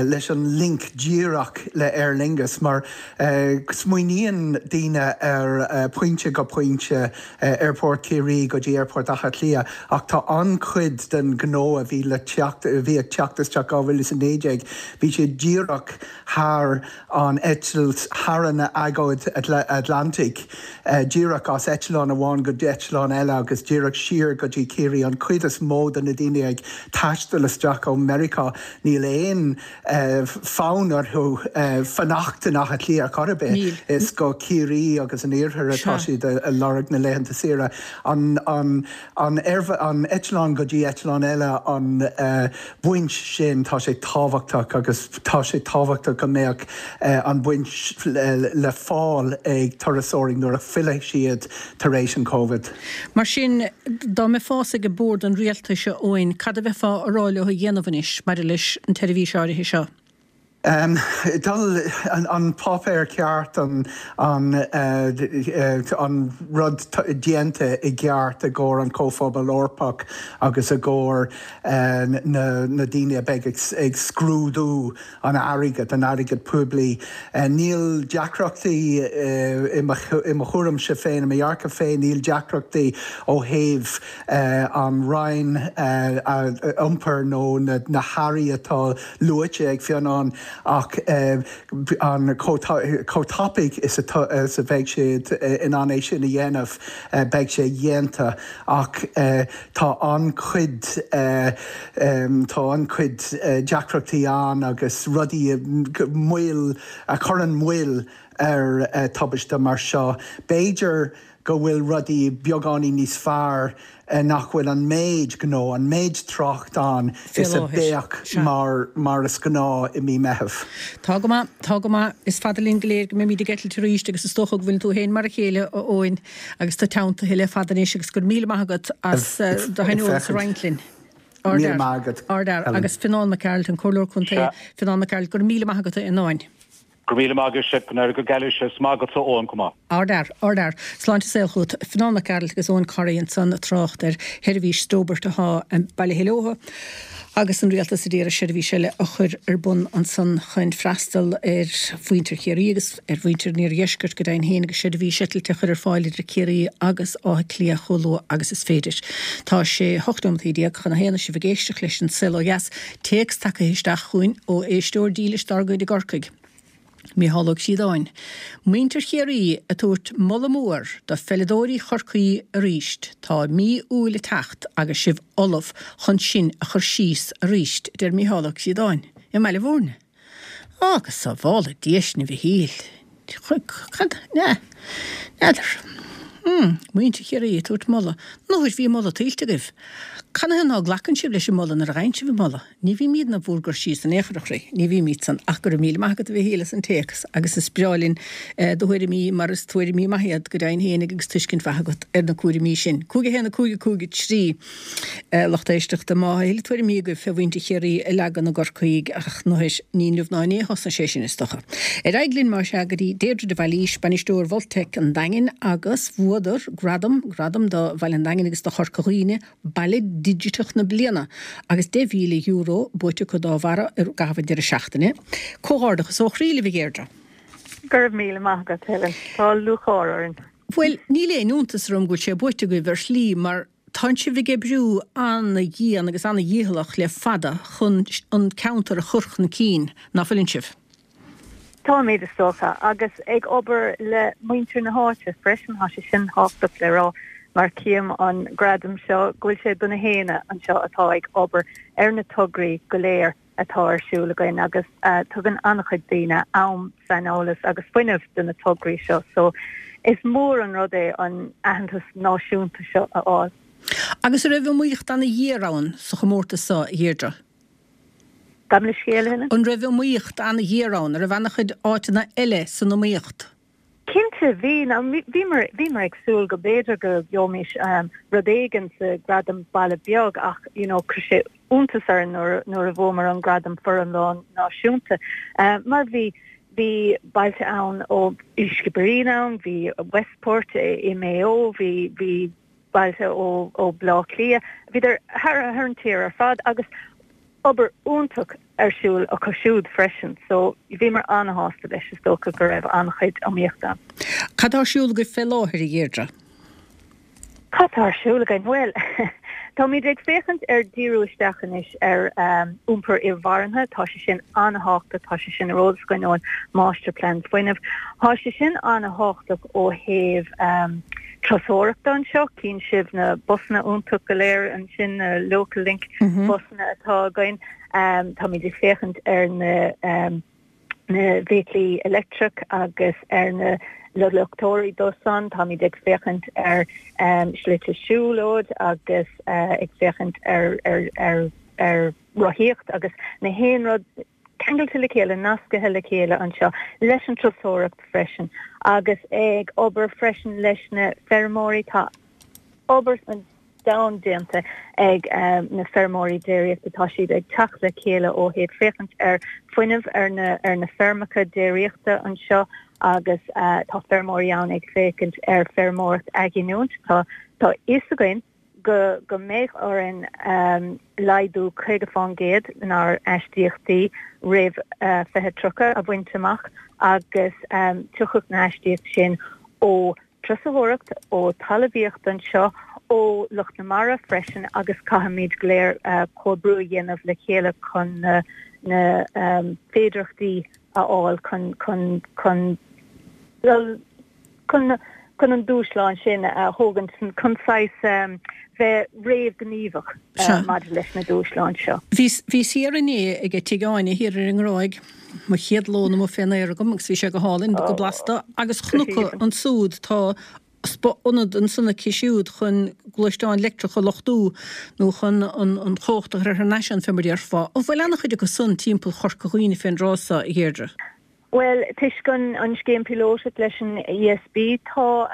leis an link díreach le Aer Lingus mar smaoiníonn daoine ar pointe go pointe, Aerfort Chiarraí go dtí Aerfort Átha Cliath ach tá an-chuid den ghnó a bhí le teacht, a bhí ag teacht isteach 2019, bhí siad díreach thar an eitilt, thar an Aigéad Atlantaigh, díreach as eitleán amháin go eitleán eile agus díreach siar go dtí Ciarraí. An chuid is mó de na daoine ag taisteal isteach ó Meiriceá, níl aon fonn orthu fanacht in Áth Cliath ar chor ar bith. Is go Ciarraí agus an iarthar atá siad ag lorg na laethanta saoire. An an eitleán go dtí eitleán eile, an bhaint sin, tá sé tábhachtach agus tá sé tábhachtach go mbeadh an bhaint le fáil ag turasóirí nuair a fillfidh siad tar éis an Covid. Mar sin, dá mbeifeása ag bord an rialtais, a Eoin, cad a bheifeá a rá leo a dhéanamh anois maidir leis an tseirbhís áirithe seo? Dul, an páipéar ceart, an an rud déanta i gceart i gcomhair an Chomhphobal Eorpach agus i gcomhair na na daoine a beidh ag scrúdú an airgead, an airgead poiblí. Níl deacrachtaí i mo i mo thuairimse féin, i mo dhearcadh féin, níl deacrachtaí ó thaobh an Roinn Iompair nó na hairí atá luaite ag Fionnán ach an chomh tapaidh is a bheidh siad in ann é sin a dhéanamh, beidh sé dhéanta ach tá an-chuid, tá an-chuid deacrachtaí ann agus rudaí, moill, a chuireann moill ar tubaiste mar seo. B'fhéidir go bhfuil rudaí beagáinín níos fearr nach bhfuil an méid gnó, an méid trácht ann is a bheadh mar mar is gnáth i mí Meitheamh. Tá go maith, tá go maith. Is fada linn go léir go mbeimid ag eitilt arís agus is dócha go bhfuileann tú féin mar a chéile, a Eoin, agus tú teanntaithe le fada anois agus go raibh míle maith agat as do shaineolas a roinnt linn. Míle maith agat, Ardfhear. Agus Fionnán Mac Gearailt, an Comhairleoir Contae, Fionnán Mac Gearailt, go raibh míle maith agat, a Fhionnáin. Go raibh míle maith agat, go n-éirí go geal leis, is maith agatsa Eoin chomh maith. Ardfhear, ardfhear. Sláinte is saol chugat. Fionán Mac Gearailt agus Eoin Corry ansan ag trácht ar sheirbhís Stobart athá i mBaile Chill Eotha agus an Rialtas a d'iarraidh seirbhís eile a chur ar bun ansan chun freastal ar mhuintir Chiarraí agus ar mhuintir an iardheiscirt go deimhin féin agus seirbhís eitilte a chur ar fáil idir Ciarraí agus Áth Cliath chomh luath agus is féidir. Tá sé 18 nóimeataí chun a haon is sibh ag éisteacht leis An Saol Ó Dheas. Téacs tagtha isteach chugainn ó éisteoir dílis dár gcuid i gCorcaigh, Mícheál Ó Críodáin. Muintir Chiarraí ag tabhairt moladh mór do pheileadóirí Chorcaí arís. Tá mí Iúil ag teacht agus sibh ullamh chun sinn a chur síos arís, a deir Mícheál Ó Críodáin i mBaile Bhúirne. Á, go sábhála Dia sinn a Mhichíl. Cad? N'fheadar. Hmm, muintir Chiarraí ag tabhairt moladh. Nuair bhí moladh tuillte agaibh. Canathaobh ná glacann sibh leis an moladh nuair a gheibheann sibh an moladh? Ní bhímídne bhúr gcur síos in aon chor, a chroí. Ní bhímíd san. Ach go raibh míle maith agat a Mhichíl as an téacs agus is breá linn do thuairimí mar is tuairimí maithe iad go deimhin fhéinig agus tuiscint mhaith agat ar na cúraimí sin. 5 1 5 5 3. Lucht éisteachta, má tá a thuilleadh tuairimí agaibh fé mhuintir Chiarraí a leagan i gCorcaigh ach anois ní inniu ná inné a thosnaigh sé sin is dócha. Ar aghaidh linn más ea go dtí Deirdre de Bhailís, bainisteoir Voltec an Daingin agus bhuadar gradam, gradam do Bhaile an Daingin agus do Chorca Dhuibhne, Baile Digiteach na Bliana agus €10,000 buaite acu dá bharra i gcaitheamh an deireadh seachtaine. Comhghairdeachas ó chroí libh a Dheirdre. Go raibh míle maith agat Helen. Tá lúcháir orainn. Bhuel, níl aon iontas orm go bhfuil sé buaite agaibh ar shlí mar Tánn sibh ag oibriú an-dhian agus an-dhícheallach le fada chun an ceantar a chur chun cinn, ná fuileann sibh? Táimid, is dócha, agus ag obair le muintir na háite freisin, tá sé sin tábhachtach le rá mar cím an gradam seo go bhfuil sé do na héinne anseo atá ag obair ar na tograí go léir. atá ar siúl againn agus tugann an-chuid daoine am, saineolas agus fuinneamh do na tograí seo so is mór an rud é an aitheantas náisiúnta seo a fháil. Agus an raibh iomaíocht an-ghéar ann sa chomórtas seo, a Dheirdre? Gabh mo leithscéal, a Helen? An raibh iomaíocht an-ghéar ann? An raibh an-chuid áiteanna eile san iomaíocht? Cinnte, bhí. Bhíomar, bhíomar ag súil go b'fhéidir go gheobhaimis rud éigin sa Gradam Baile Beag ach you know chuir sé iontas orainn nuair, nuair a bhuamar an gradam foriomlán náisiúnta mar bhí, bhí bailte ann ó bhí Skibbereen ann, bhí Westport i Maigh Eo, bhí, bhí bailte ó, ó Bleá Cliath, bhíodar thar, thar an tír ar fad agus obair iontach ar siúl acu siúd freisin so bhíomar an-shásta leis, is dócha go raibh an-chuid iomaíochta ann. Cad tá ar siúl agaibh fé láthair, a Dheirdre? Cad tá ar siúl againn? Bhuel, táimid ag féachaint ar díriú isteach anois ar iompar inmharthana, tá sé sin an-thábhachtach, tá sé sin ar eolas againn ón Máistirphlean Fuinnimh. Tá sé sin an-thábhachtach ó thaobh turasóireachta anseo, cíonn sibh na busanna iontach go léir ansin, na Local Link busanna atá againn. Táimid ag féachaint ar na na bhfeithiclí leictreach agus ar na luchtóirí dó san. Táimid ag féachaint ar slite siúlóid agus ag féachaint ar ar ar ar rothaíocht agus na haon rud ceangailte le chéile, nascaithe le chéile anseo leis an turasóireacht freisin agus ag obair freisin leis na feirmeoirí. Tá obair an domhain déanta ag na feirmeoirí déiríochta. Tá siad ag teacht le chéile ó thaobh féachaint ar fuinneamh ar na ar na feirmeacha déiríochta anseo agus tá feirmeoirí ann ag féachaint ar feirmeoireacht athghiniúint. Tá tá fhios againn go go mbeidh orainn laghdú 50% inár aistíochtaí roimh 2030 a bhaint amach agus tiocfaidh na haistíocht sin ó turasóireacht, ó talmhaíocht anseo, ó lucht na mara freisin agus caithfimid go léir comhoibriú a dhéanamh le chéile chun na na féidearthachtaí a fháil chun chun chun dul chun chun an dúshlán sin a thógaint chun saghas bheith réamhghníomhach maidir leis na dúshláin seo. Bhíos thiar inné ag Tigh Áine thiar ar an nGráig, mo chéad lón amuigh fén aer agam agus bhí sé go hálainn, go blasta, agus chonac ansúd tá ionad ansan aici siúd chun gluaisteáin leictreacha a luchtú nó chun an chumhacht a chur thar n-ais ann fé mar a déarfá. An bhfuil an-chuid acu san timpeall Chorca Dhuibhne fén dtráth so, a Dheirdre? Bhuel, toisc an scéim píolótach leis an ESB, tá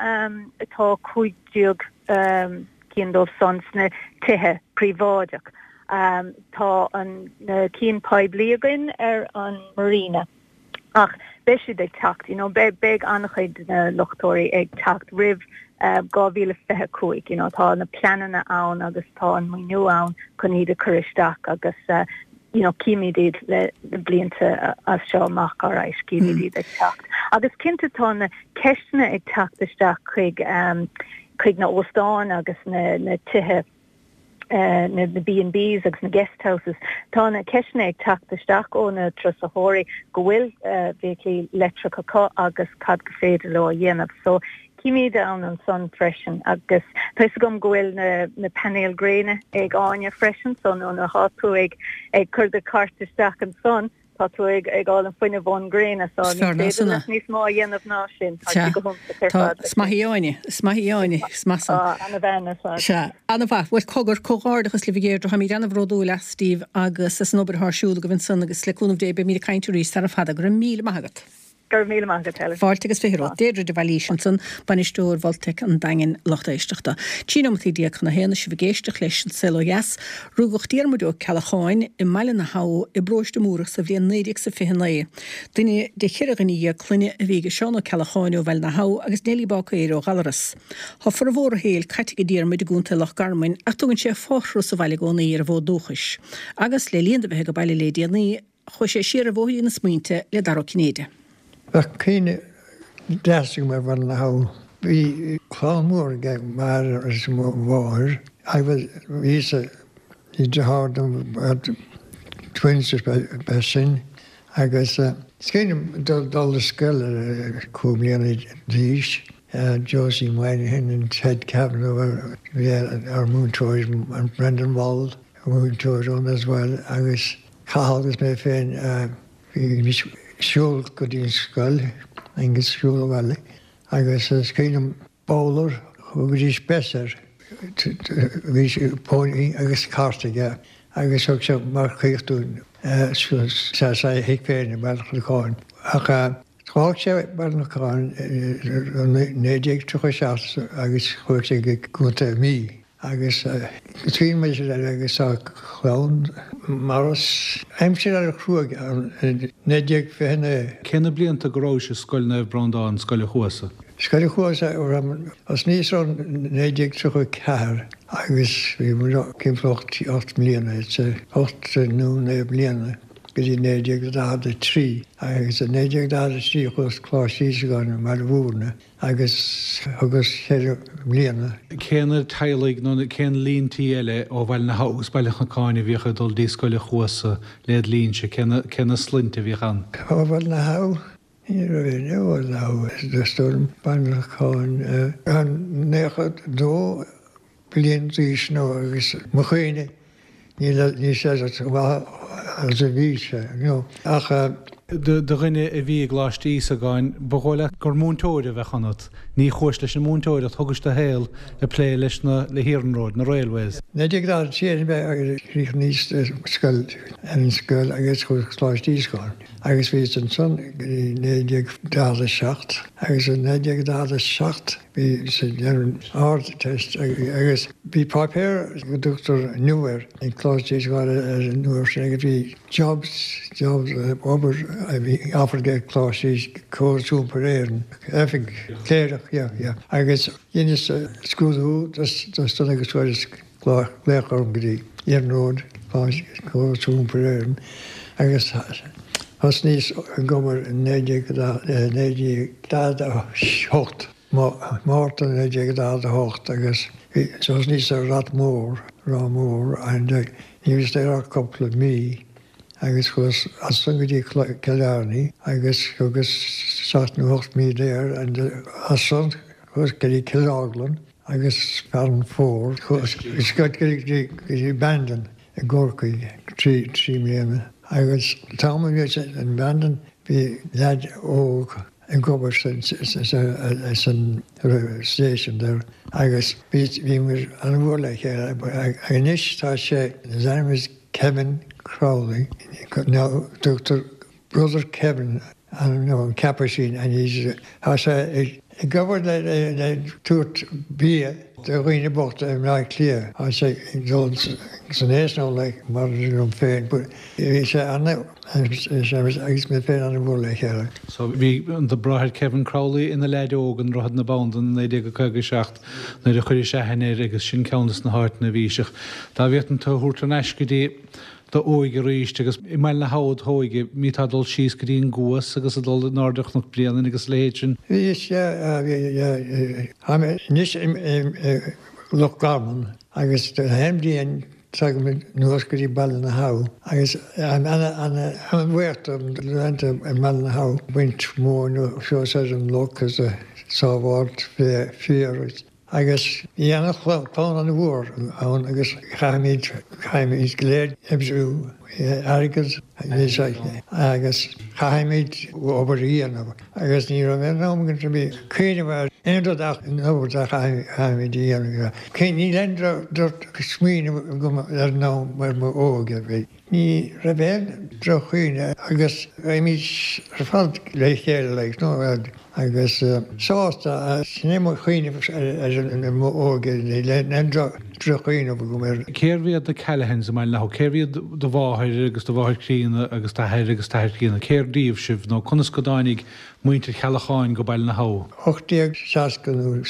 tá 15 cinn dóibh san sna tithe príobháideach. Tá an na cinn poiblí againn ar an Marina. Ach beidh siad ag teacht, you know, beidh, beidh an-chuid de na luchtóirí ag teacht roimh 2025, you know, tá na pleananna ann agus tá an maoiniú ann chun iad a chur isteach agus you know, címid iad le blianta as seo amach, alright, címid iad ag teacht. Agus cinnte tá na ceisteanna ag teacht isteach chuig, chuig na óstáin agus na, na tithe, na B&Bs agus na guest houses, tá na ceisteanna ag teacht isteach ó na turasóirí go bhfuil feithiclí leictreacha acu agus cad gur féidir leo a dhéanamh. So címid ann ansan freisin agus tá fhios agam go bhfuil na na painéil gréine ag Áine freisin so nuair atá tú ag ag cur do chairt isteach ansan, Tá tú ag fháil an fuinneamh ón ngréin so ní féidir leat níos mó a dhéanamh ná sin. Tá sé go hiontach ar fad. Is maith í Áine. Is maith í Áine. Is maith san. Ana-bhean ar fad. Sea. Ana-mhaith. Bhuel, cogar, comhghairdeachas libh a Dheirdre. Táimid ana-bhródúil astaibh agus as an obair atá ar siúl agaibh ansan agus le cúnamh Dé beimid ag caint arís sara fada. Go raibh míle maith agat. Go raibh míle maith agat, Helen. Fáilte agus 20 romhat. Deirdre de Bhailís ansan, Bainisteoir Voltaic an Daingin, lucht éisteachta. 13 nóimeataí chun a haon is sibh ag éisteacht leis An Saol Ó Dheas. Rugadh Diarmuid Ó Ceallacháin i mBaile na hAbha i bparóiste Múrach sa bhliain 1929. Duine de cheithre dhuine dhéag clainne a bhí aige Seán Ó Ceallacháin ó Bhaile na hAbha agus Neilí Báicéir ó Ghallaras. Tá formhór a shaoil caite ag Diarmuid i gContae Loch Garman ach tugann sé fothruas abhaile i gcónaí ar an bhfód dúchais. Agus le linn dó bheith ag baile le déanaí, Chuaigh sé siar ar bhóithrín na smaointe le Dara Ó Cinnéide. Bheadh cuimhne deas agam ar Bhaile na hAbha. Bhí clann mhór aige m'athair agus mo mháthair agus bhí sa bhí deartháir dom twins ba sine agus is cuimhin liom dul ar scoil ar 5 bliana d'aois, Josie Moynihan and Ted Kavanagh bhí ár múinteoir Brendan Wall múinteoir ann as well agus Cathal agus mé féin bhímis ag siúl go dtí an scoil agus siúl abhaile agus is cuimhin liom Bowler thugaidís Bess air bhí pony agus cairt aige agus thug sé marcaíocht dúinn sa thigh féin i mBaile Chnocáin ach d'fhág sé Baile Chnocáin i 1937 agus chuaigh sé go Contae na Mí. Agus cuimhin liom aimsir eile agus tá clann Maurice. Aimsir an-chruaidh ann i 1929. Cé na blianta go rabhais i Scoil Naomh Breandán, Scoil a' Chuasa? Scoil a' Chuasa, thosnaíos ann 1934 agus bhí muid timpeall 8 mbliana, 8 nó 9 bliana go dtí 1943 agus i 1943 chuas Coláiste Íosagáin i mBaile Mhúirne. agus thugas cheithre bliana. Cé na teaghlaigh nó cén líon tí eile ó Bhaile na hAbha agus Baile Chnocáin a bhíodh ag dul dtí Scoil a' Chuasa led linnse, cé na, cé na sloinnte a bhíodh ann? Ó Bhaile na hAbha? Ní raibh éinne ó Bhaile na hAbha, is dóigh liom, Baile Chnocáin, 92 bliain d'aois nó agus mo chuimhne níl níl sé chomh maith agus a bhí sé, you know. Ach. Do dhuine a bhí i gColáiste Íosagáin, ba dhóigh leat gur múinteoir a bheadh ionat. Ní chuais leis an múinteoireacht, thugais do shaol ag plé leis na, le hiarnróid, na railways. 1943 mé agus chríochnaíos scoil, ar an scoil agus chuas Coláiste Íosagáin agus bhíos ansan go dtí 1947 agus i 1947 Bhí sé ag déanamh an Ardteist agus bhí páipéar go dtugtar Inniu air ag Coláiste Íosagáin ar an uair sin agus bhí jobs, jobs, obair a bhí offered ag Coláiste Íos, Córas Iompair Éireann, oifig, cléireach, yeah, yeah. Agus dheineas scrúdú dos agus fuaireas glaoch orm go dtí Iarnród Córas Iompair Éireann agus thosnaíos ag obair i 1948, Márta 1948 agus thosnaíos ar Rath Mór, Ráth Mór and ní rabhas there ach cúpla mí agus chuas as san go dtí Killarney agus thugas seacht nó ocht mí there and as san chuas go dtí Cill Orglan agus Farranfore chuas go dtí Bandon i gCorcaigh 3 mbliana agus an t-am a bhíos in Bandon bhí leaid óg ag obair san station there agus bhí muid an-mhór le chéile anois tá sé his name is Kevin Crowley now tugtar Brother Kevin nó an Capuchin and he's tá sé ag obair le tabhairt bia do dhaoine bochta i mBleá Cliath. Tá sé ag dul. san aos now like mar liom féin but bhí sé ana agus mé féin ana mhór le chéile. So bhí do bhráthair Kevin Crowley ina leaid óg i nDroichead na Bandan i 1957 nuair a chuiris aithne air agus sin ceann des na háiteanna a bhí sé. Dá bhféadfainn tú a thabhairt thar n-ais go dtí d'óige arís agus i mBaile na hAbha d'óige, mbíteá ag dul síos go dtí an gCuas agus ag dul in airde Chnoc Bréanainn agus a leithéid sin. Bhí, sea, bhí, yeah. Táim anois i Loch Garman agus aon bhliain tagaim anuas go dtí Baile na hAbha agus táim ana, ana, ana-bhuíoch do laethanta i mBaile na hAbha ag baint móin suas ar an loch agus ag sábháilt féar agus Agus bhí ana-chlann ana-mhór ann agus chaithimid, chaithimid go léir oibriú airgead agus chaithimid obair a dhéanamh agus ní raibh aon am againn bhí cuimhneamh ar aon rud ach an obair a chaithimid a dhéanamh. Níl aon droch-smaoineamh agam ar an am ar m'óige. Ní raibh aon droch-chuimhne agus bhímid ar fad le chéile like no agus sásta, sin é mo chuimhneamh ar m'óige, níl aon droch-chuimhneamh agam air. Cérbh iad na Callahans i mBaile na hAbha? Cérbh iad do mháthair agus do mháthair chríonna agus d'athair agus d'athair críonna? Cér díobh sibh nó conas go dtáinig muintir Cheallacháin go Baile na hAbha? 1860 nó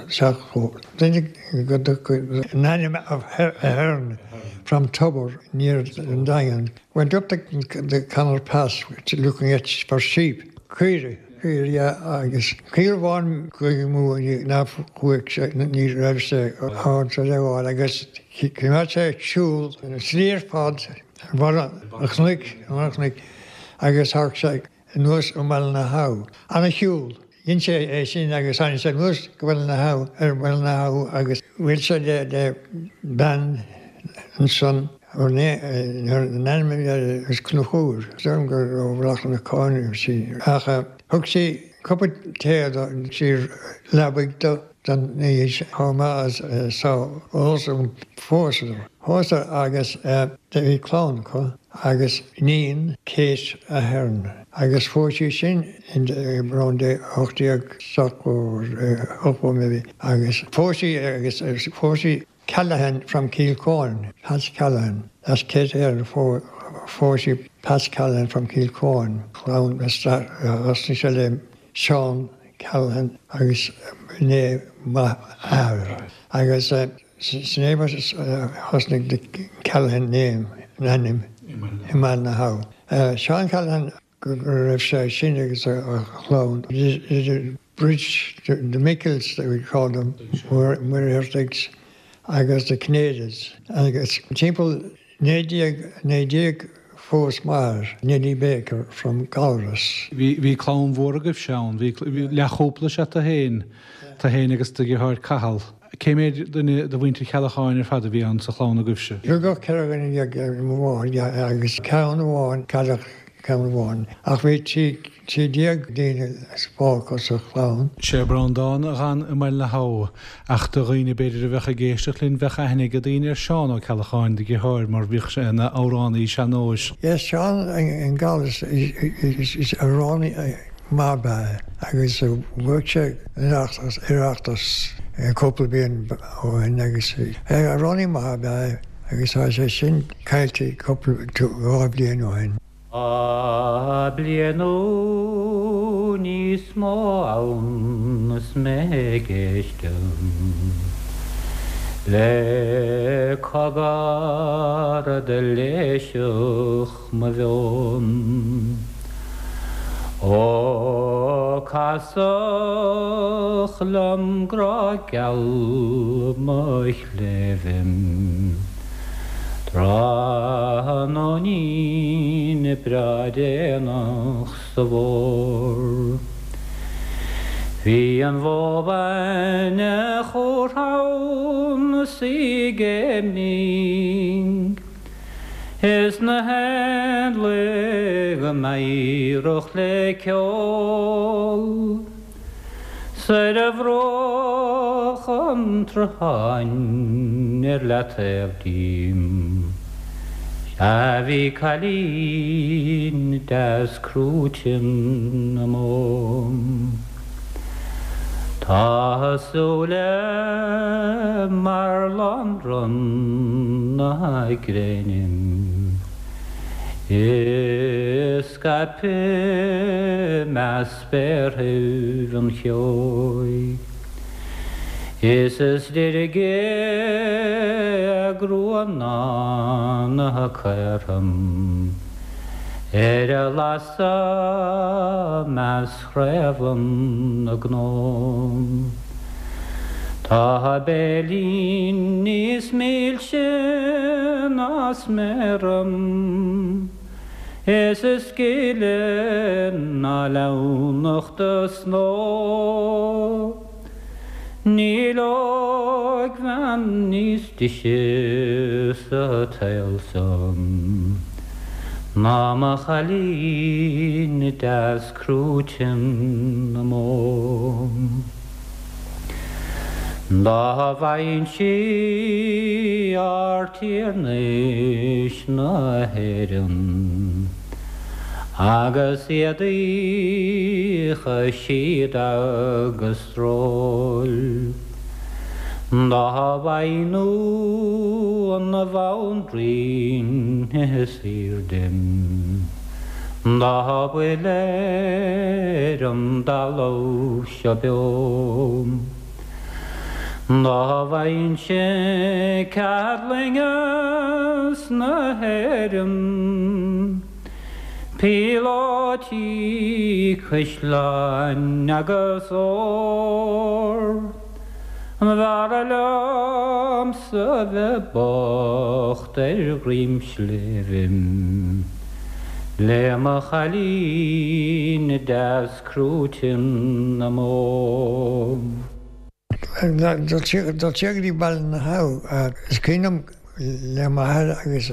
70, duine go an ainm of Ahern from Tubber near an Daingean went up the the Conor Pass looking at for sheep, caoirigh, caoirigh yeah agus caora amháin chuaigh amú ná chuaigh sé ní raibh sé ábalta a fháil agus choimeád sé ag siúl an tslí ar fad ar bharr an chnoic, ar bharr an chnoic agus tháinig sé anuas i mBaile na hAbha. Ana shiúl. Dhein sé é sin agus tháinig sé anuas go Baile na hAbha ar Bhaile na hAbha agus bhuail sé le le bean ansan a n-ainm a bhí air is Conchúr. Is dóigh liom gur ó Bhealach na Cáin a bhí sí. Ach thug sí cupa tae do sí leabaidh do don oíche chomh maith as sa phósadar. Phósadar agus do bhí clann acu agus iníon Kate Ahern agus phós sí sin in around 1870 maybe agus phós sí agus phós sí Callahan from Cill Chuáin, Pat Callahan, that's Kate Ahern phós sí Pat Callahan from Cill Chuáin, clann thosnaigh sé le Seán Callahan agus b'in é m'athair agus sin é mar a thosnaigh the Callahan name, an ainm, i mBaile na hAbha. Seán Callahan go raibh sé sin agus a chlann, the bridge, the Mickles that we called them, Muircheartaigh agus the Cinnéidigh agus timpeall 1919 phós m'athair Nellie Baker from Gallarus. Bhí clann mhór agaibhse ann. Bhí leathchúpla is ea tú féin, tú féin agus do dheartháir Cathal. Cé mhéad duine de mhuintir Cheallacháin ar fad a bhí ann sa chlann agaibhse? Rugadh 14 dhuine ar mo mháthair agus ceann amháin, cailleadh ceann amháin. Ach bhí 13 daoine fágtha sa chlann. Sé Breandán a dh'fhan i mBaile na hAbha, ach do dhaoine b'fhéidir a bheadh ag éisteacht linn bheadh aithne ag daoine ar Seán Ó Ceallacháin, do dheartháir, mar bhíodh sé ina amhránaí sean-nóis. Yes, Seán in Gallarus is amhránaí maith ab ea é agus bhuaigh sé an Oireachtas cúpla bliain ó shin agus amhránaí maith ab ea é agus tá sé sin caillte cúpla dhá bhliain ó shin. Tá bliain nó níos mó ann is mé ag éisteacht le cogar a d'fhoilseodh mo mheon. Ó casadh liom grá geal mo chléibhe. Tráthnóinín breá déanach sa bhfómhar. Bhí an bhó bhainne chomh rann is í ag géimnigh Is na héanlaith go meidhreach le ceol. 'S ar bhruach an tsrutháin ar leataobh díom, sea bhí cailín deas crúite na mbó. Tá a súile mar lánrun na gréine Is scaipthe i measc spéarthaibh an cheoigh. Is is deirge a grua ná na caortha Ar a lasadh measc chraobha na gcnó. Tá a béilín níos milse ná sméara Is is gile ná leamhnachta snoe. Níl óigbhean níos deise sa tsaol seo ná mo chailín deas crúite na mbó. Dá bhfaighinnse ardtiarnais na hÉireann agus éadaí síoda agus sróil, dá bhfaighinn an bhanríon is aoirde dá bhfuil ar an dtalamh seo beo. Dá bhfaighinnse cead loingeas na hÉireann, píolótaí, caisleáin agus ór, B'fhearra liomsa bheith bocht ar dhroim sléibhe le mo chailín deas crúite na mbó. Dul siar go dtí Baile na hAbha, is cuimhin liom le m'athair agus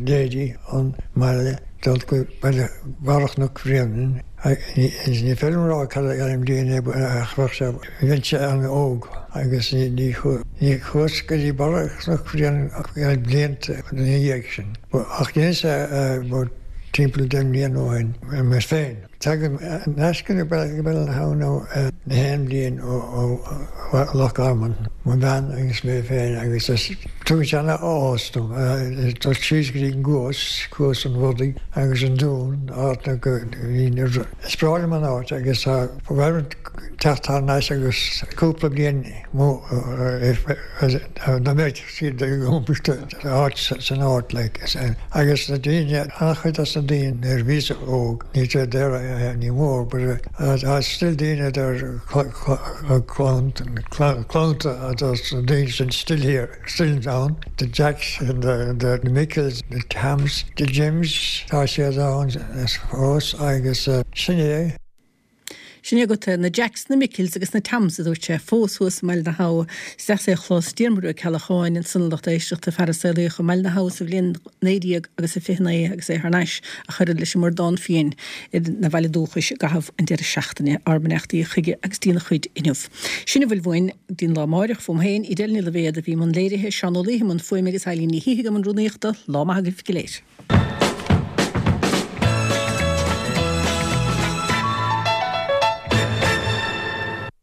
Daidí ón mbaile dul go baile Barra Chnoc Bhréanainn. Ní féidir liom a rá cad é an bhliain é ach bheadh sé, bheinnse an-óg agus ní chuas go dtí Barra Chnoc Bhréanainn blianta ina dhiaidh sin. Ach dheineas é timpeall deich mbliana ó shin mé féin. Tagaim ar ais go Baile na hAbha na haon bhliain ó Loch Garman, mo bhean agus mé féin agus tugann sé ana-áthas dom dul síos go dtí an gCuas, Cuas an Bhodaigh agus an Dún, áit na go Is breá liom an áit agus tá ba mhaith liom teacht thar n-ais agus cúpla bliain dá mbeadh siad ag iompar áit san áit like agus na daoine, an-chuid dos na daoine nuair a bhíos óg, níl siad there anymore but tá still daoine there clann dos na daoine sin still here, still ann, the Jacks and the Michaels, the Toms, the Jims, tá siad ann fós agus sin é. Sin é agat na Jacks, na Michaels agus na Toms, a dúirt sé, fós thuas i mBaile na hAbha. Is deas é a chlos, Diarmuid Ua Ceallacháin, ansan a lucht éisteachta, fear a saolaíodh i mBaile na hAbha sa bhliain 19 agus a 29 agus é thar n-ais ach oiread leis an mBradán Fiáin ina bhaile dúchais i gcaitheamh an deireadh seachtaine. Ár mbeannachtaí chuige agus dtína chuid inniu. Sin a bhfuil uainn go dtí'n lá amáireach. Fúm féin, Edel Ní Loibhéad a bhí i mbun léirithe, Seán Ó Laoithe i mbun fuaime agus Eilín Ní Shíthigh i mbun rúnaíochta. Lá maith agaibh go léir.